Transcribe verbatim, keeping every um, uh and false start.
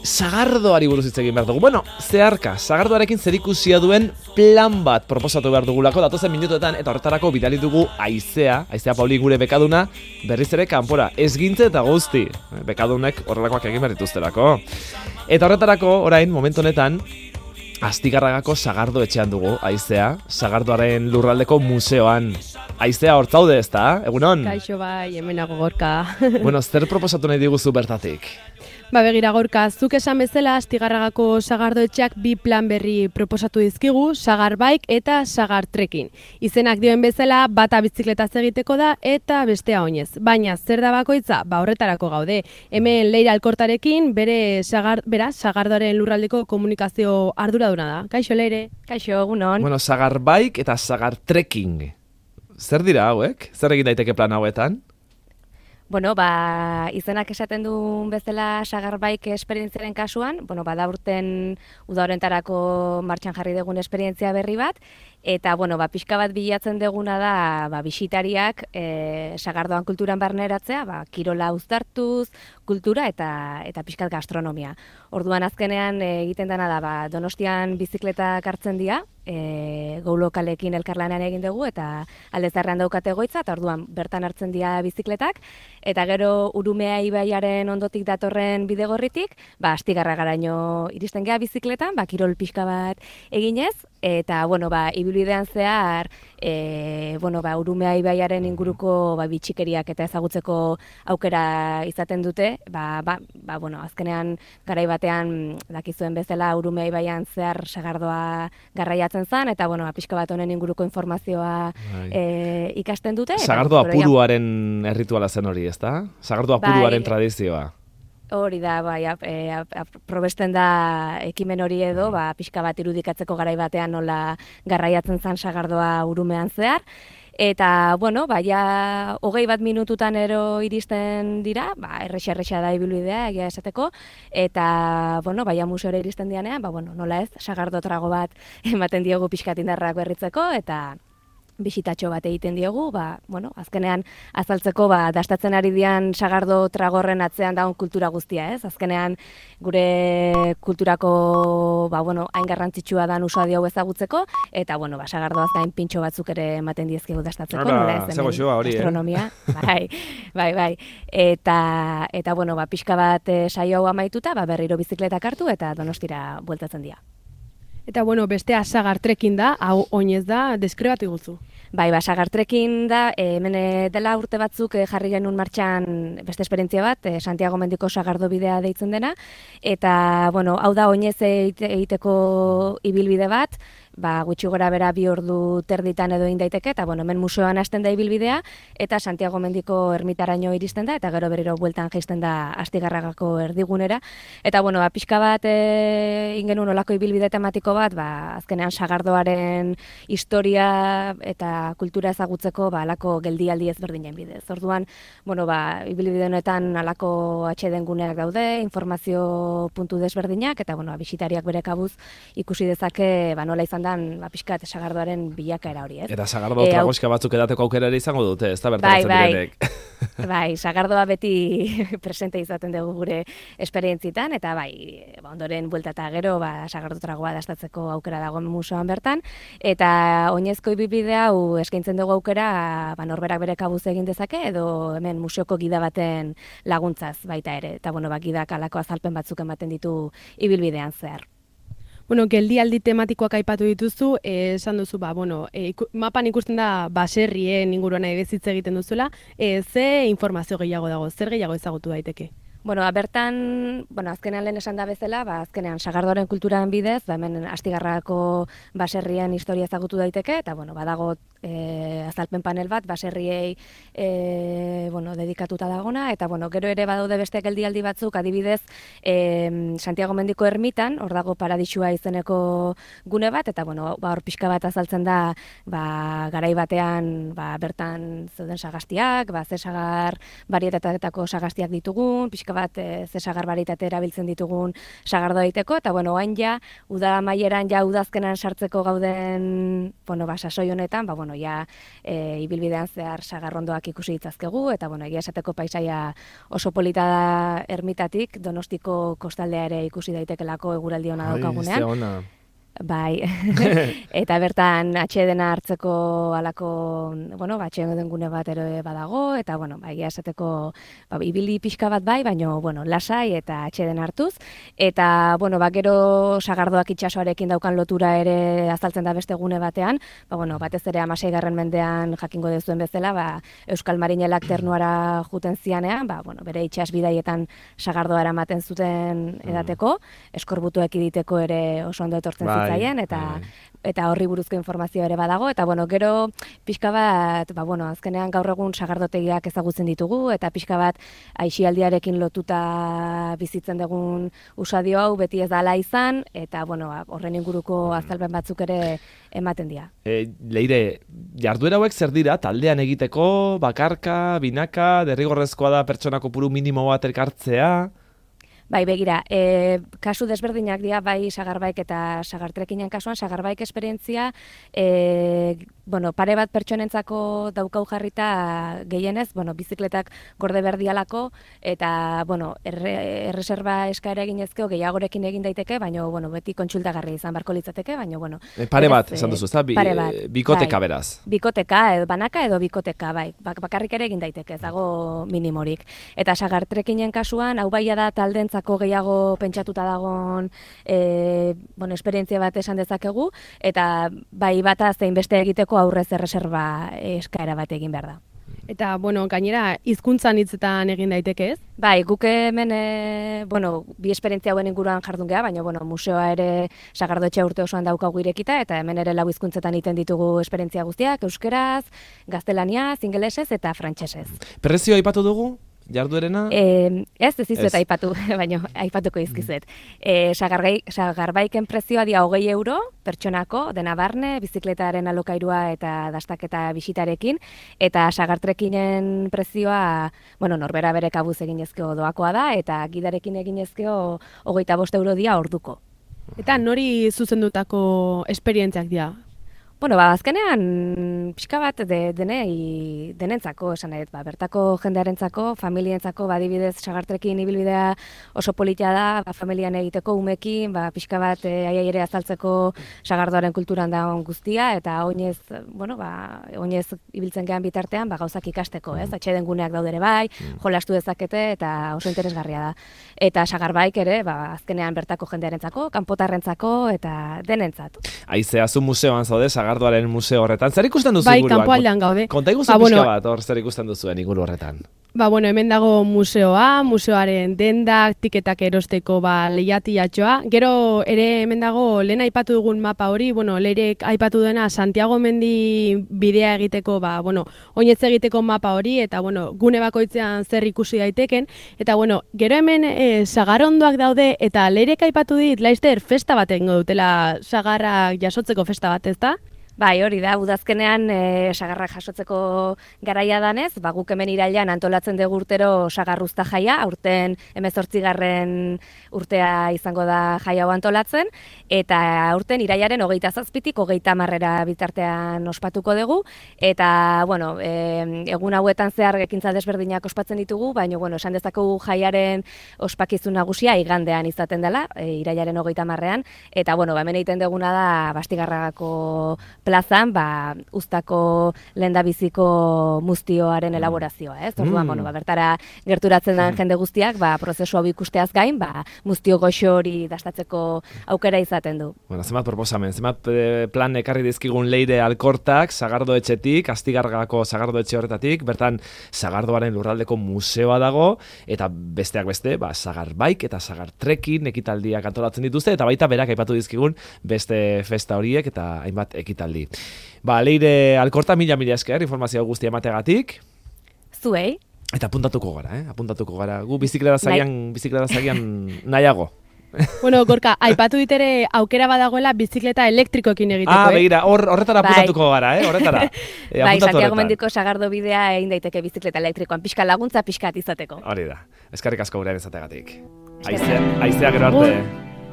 sagardoari buruz hitz egin behar dugu. Bueno, zeharka, sagardoarekin zerikusia duen plan bat proposatu behar dugulako datozen minutuetan, eta horretarako bidali dugu Aizea, Aizea Pauli gure bekaduna, berriz ere kanpora, ezgintze eta guzti. Bekadunek horrelakoak egin behar dituztelako. Eta horretarako, orain, momentu honetan, Astigarragako sagardo etxean dugu, Aizea, sagardoaren lurraldeko museoan. Aizea, hortzaude ez da, egunon? Kaixo bai, hemenago Gorka. Bueno, zer proposatu nahi diguzu bertatik? Ba begira Gorka, zuk esan bezala Astigarragako sagardoetxeak bi plan berri proposatu dizkigu, sagar bike eta sagar trekking. Izenak dioen bezala, bata bizikletaz egiteko da eta bestea oinez. Baina zer da bakoitza? Ba horretarako gaude. Hemen Leira Alkortarekin bere sagar, bera, sagardoaren lurraldeko komunikazio arduraduna da. Kaixo Leire. Kaixo, egunon. Bueno, sagar bike eta sagar trekking. Zer dira hauek? Zer egin daiteke plan hauetan? Bueno, ba, izenak esaten duen bezala sagarbaik esperientziaren kasuan, bueno, ba, da urten uda horrentarako martxan jarri dugun esperientzia berri bat, eta, bueno, ba, pixka bat bilatzen duguna da, ba, bisitariak e, sagardoan kulturan barneratzea, ba, kirola uztartuz, kultura eta eta pixkat gastronomia. Orduan azkenean e, egiten dena da, ba, Donostian bizikletak hartzen dira, e, gau lokalekin elkarlanean egin dugu, eta Aldezarrean daukate egoitza, eta orduan bertan hartzen dira bizikletak, eta gero Urumea ibaiaren ondotik datorren bidegorritik, ba, Astigarragaraino iristen gea bizikletan, ba, kirol pixka bat eginez, eta, bueno, ba, ibilbidean zehar, e, bueno, ba, Urumea ibaiaren inguruko ba, bitxikeriak eta ezagutzeko aukera izaten dute, ba, ba, ba, bueno, azkenean garai batean dakizuen bezala Urumea ibaian zehar sagardoa garraiatzen zen, eta, bueno, ba, pixka bat honen inguruko informazioa e, ikasten dute. Sagardoa puruaren errituala zen hori, ezta? Sagardoa puruaren bai, tradizioa. Hori da, bai, e, probesten da ekimen hori edo, ba, pixka bat irudikatzeko garai batean nola garraiatzen zen sagardoa Urumean zehar. Eta, bueno, ba, ja, hogei bat minututan ero iristen dira, ba, errexa-errexa da ibilbidea, egia esateko, eta, bueno, ba, ja museora iristen dianean, ba, bueno, nola ez, sagardo trago bat ematen diogu pixkat indarrak berritzeko, eta bisitatxo bat egiten diogu, ba, bueno, azkenean azaltzeko ba, dastatzen ari dian sagardo tragorren atzean daun kultura guztia, ez? Azkenean gure kulturako ba, bueno, hain garrantzitsua dan usua diogu ezagutzeko, eta bueno, ba, sagardoaz gain pintxo batzuk ere ematen diezkegu dastatzeko, nola ez hemen gastronomia, eh? bai, bai, bai, eta, eta bueno, ba, pixka bat e, saio hau amaituta, ba, berriro bizikletak hartu eta Donostira bueltatzen dira. Eta, bueno, bestea sagar trekking da, hau oinez da, deskribatu guzu. Bai, ba, sagar trekking da, e, hemen dela urte batzuk e, jarri genuen martxan beste esperientzia bat, e, Santiago Mendiko sagardo bidea deitzen dena, eta, bueno, hau da oinez egiteko ibilbide bat, ba, gutxi gora bera bi ordu terditan edo egin daiteke, eta bueno, hemen museoan hasten da ibilbidea, eta Santiago Mendiko ermitaraino iristen da, eta gero berriro bueltan jaisten da Astigarragako erdigunera. Eta bueno, ba, pixka bat e, ingenuen olako ibilbide tematiko bat, ba, azkenean sagardoaren historia eta kultura ezagutzeko ba, alako geldialdi ezberdinen bidez. Orduan, bueno, ba, ibilbide honetan alako atxeden guneak daude, informazio puntu desberdinak, eta bueno, bisitariak bere kabuz ikusi dezake ba, nola izan ba, pixkat sagardoaren bilakaera hori, ez? Eta sagardo e, tragoska batzuk edateko aukera ere izango dute, ez da bertaratzen bai, direnek. Bai, sagardoa beti presente izaten dugu gure esperientzitan, eta bai, ba, ondoren buelta eta gero, ba, sagardo tragoa dastatzeko aukera dago museoan bertan, eta oinezko ibibide hau eskaintzen dugu aukera, ba, norberak bere kabuz egin dezake, edo hemen museoko gida baten laguntzaz baita ere, eta bueno, ba, gidak alako azalpen batzuk ematen ditu ibilbidean zehar. Bueno, geldialdi tematikoak aipatu dituzu, eh, esan duzu, ba, bueno, eh, mapan ikusten da baserrien inguruan edezitze egiten duzuela, eh, ze informazio gehiago dago, zer gehiago ezagutu daiteke? Bueno, bertan, bueno, azkenean lehen esan da bezala, ba, azkenean sagardoaren kulturaren bidez, ba, hemen Astigarragako baserrien historia ezagutu daiteke, eta, bueno, badago e, azalpen panel bat, baserriei e, bueno, dedikatuta dagona, eta, bueno, gero ere badaude beste geldialdi batzuk, adibidez, e, Santiago Mendiko ermitan, hor dago Paradisua izeneko gune bat, eta, bueno, ba, hor pixka bat azaltzen da, ba, garai batean, ba, bertan zeuden sagastiak, ba, ze sagar barietatako sagastiak ditugun, pixka bat e, ze sagar barietate erabiltzen ditugun sagardo daiteko, eta, bueno, hain ja, uda maieran ja udazkenan sartzeko gauden, bueno, ba, sasoi honetan, ba, bueno, ja e, ibilbidean zehar sagarrondoak ikusi ditzazkegu, eta, bueno, egia esateko paisaia oso polita da Ermitatik, Donostiko kostaldea ere ikusi daitekelako eguraldi ona daukagunean. Ai, ze ona. Bai, eta bertan atxedena hartzeko alako, bueno, atxeden gune bat ere badago, eta, bueno, bai, esateko, ba, ibili pixka bat bai, baino, bueno, lasai eta atxeden hartuz, eta, bueno, ba, gero sagardoak itsasoarekin daukan lotura ere azaltzen da beste gune batean, ba, bueno, batez ere hamaseigarren mendean jakingo dezuen bezala, ba, Euskal Marinelak ternuara juten zianean, ba, bueno, bere itsas bidaietan sagardoa eramaten zuten edateko, eskorbutuak iditeko ere oso ondo etortzen zitzen, Zaien, eta eta horri buruzko informazio ere badago, eta bueno, gero pixka bat, ba, bueno, azkenean gaur egun sagardotegiak ezagutzen ditugu, eta pixka bat aisialdiarekin lotuta bizitzen dugun usadio hau beti ez dala izan, eta bueno, horren inguruko azalpen batzuk ere ematen dira. E, Leire, jarduera hauek zer dira, taldean egiteko, bakarka, binaka, derrigorrezkoa da pertsona kopuru minimo bat elkartzea? Bai, begira, e, kasu desberdinak dira, bai sagarbaik eta sagartrekinen kasuan, sagarbaik esperientzia, e, bueno, pare bat pertsonentzako daukau jarrita gehienez, bueno, bizikletak gorde berdialako, eta, bueno, erre, erreserba eskaera eginezkeo gehiagorekin egin daiteke, baina, bueno, beti kontsultagarri izan barko litzateke, baina, bueno. E, pare bat, esan duzu, ez da? Bi, bikoteka bai, beraz. Bikoteka, edo banaka edo bikoteka, bai, bak, bakarrik ere egin daiteke, ez dago minimorik. Eta sagartrekinen kasuan, hau baia da taldentza gehiago pentsatuta dagoen e, bueno, esperientzia bat esan dezakegu, eta bai bata zein beste egiteko aurrez erreserba eskaera bat egin behar da. Eta, bueno, gainera, hizkuntzan hitzetan egin daiteke ez? Bai, guk hemen, e, bueno, bi esperientzia hauen inguruan jardun geha, baina, bueno, museoa ere Sagardoetxea urte osoan daukagu irekita, eta hemen ere lau hizkuntzetan egiten ditugu esperientzia guztiak, euskeraz, gaztelaniaz, ingelesez eta frantsesez. Prezioa aipatu dugu? Jarduerena? E, ez, ez izuet aipatu, baina aipatuko izkizuet. E, sagarbaiken prezioa dia hogei euro, pertsonako, dena barne, bizikletaren alokairua eta dastaketa bisitarekin, eta sagartrekinen prezioa, bueno, norbera bere kabuz eginezkeo doakoa da, eta gidarekin eginezkeo hogeita bost euro dia orduko. Eta nori zuzendutako esperientziak dira? Bueno, ba, azkenean pixka bat de, denei, denentzako, esan nahi, ba, bertako jendearentzako, familientzako, badibidez sagartrekin ibilbidea oso politia da, ba, familian egiteko umekin, ba, pixka bat e, aiai ere azaltzeko sagardoaren kulturan da guztia, eta oinez, bueno, ba, oinez ibiltzen gehan bitartean, ba, gauzak ikasteko, ez? Atxeden guneak daudere bai, jolastu dezakete, eta oso interesgarria da. Eta sagarbaik ere, ba, azkenean bertako jendearentzako, kanpotarrentzako, eta denentzat. Aizea, zu museoan zaude, Sagardoaren museo horretan. Zer ikusten duzu bai, inguruan? Bai, kanpoaldean gaude. Konta iguzu ba, bueno, bat, hor zer ikusten duzuen inguru horretan. Ba, bueno, hemen dago museoa, museoaren dendak, tiketak erosteko ba, lehiatiatxoa. Gero ere hemen dago lehen aipatu dugun mapa hori, bueno, leirek aipatu dena Santiago Mendi bidea egiteko, ba, bueno, oinetz egiteko mapa hori, eta, bueno, gune bakoitzean zer ikusi daiteken. Eta, bueno, gero hemen e, sagarondoak daude, eta leirek aipatu dit, Laister, festa bat egingo dutela sagarrak jasotzeko festa bat, ez da? Bai, hori da, udazkenean e, sagarrak jasotzeko garaia danez, ba, guk hemen irailean antolatzen dugu urtero sagarruzta jaia, aurten hemezortzigarren urtea izango da jaia hau antolatzen, eta aurten irailaren hogeita zazpitik hogeita hamarrera bitartean ospatuko dugu, eta, bueno, e, egun hauetan zehar ekintza desberdinak ospatzen ditugu, baina, bueno, esan dezakegu jaiaren ospakizun nagusia igandean izaten dela, e, irailaren hogeita hamarrean, eta, bueno, ba, hemen egiten duguna da Bastigarragako plazan, ba, uztako lehendabiziko muztioaren elaborazioa, ez? Orduan, mm. bueno, ba, bertara gerturatzen den jende guztiak, ba, prozesu hau ikusteaz gain, ba, muztio goxo hori dastatzeko aukera izaten du. Bueno, zenbat proposamen, zenbat plan ekarri dizkigun Leire Alkortak, Sagardoetxetik, Astigarragako Sagardoetxe horretatik, bertan Sagardoaren lurraldeko museoa dago, eta besteak beste, ba, Sagarbaik eta Sagartrekin ekitaldiak antolatzen dituzte, eta baita berak aipatu dizkigun beste festa horiek eta hainbat ekitaldi. Ba, Leire Alkorta, mila mila esker, informazio guztia emategatik. Zuei. Eta apuntatuko gara, eh? Apuntatuko gara. Gu bizikleta zagian, bizikleta zagian nahiago. Bueno, Gorka, aipatu ditere aukera badagoela bizikleta elektrikoekin egiteko, ah, eh? begira, hor, horretara bai. apuntatuko gara, eh? Horretara. E, bai, Santiago Mendiko sagardo bidea egin daiteke bizikleta elektrikoan, pixka laguntza, pixkat izateko. Hori da. Eskerrik asko gurean izategatik. Aizea, aizea gero arte.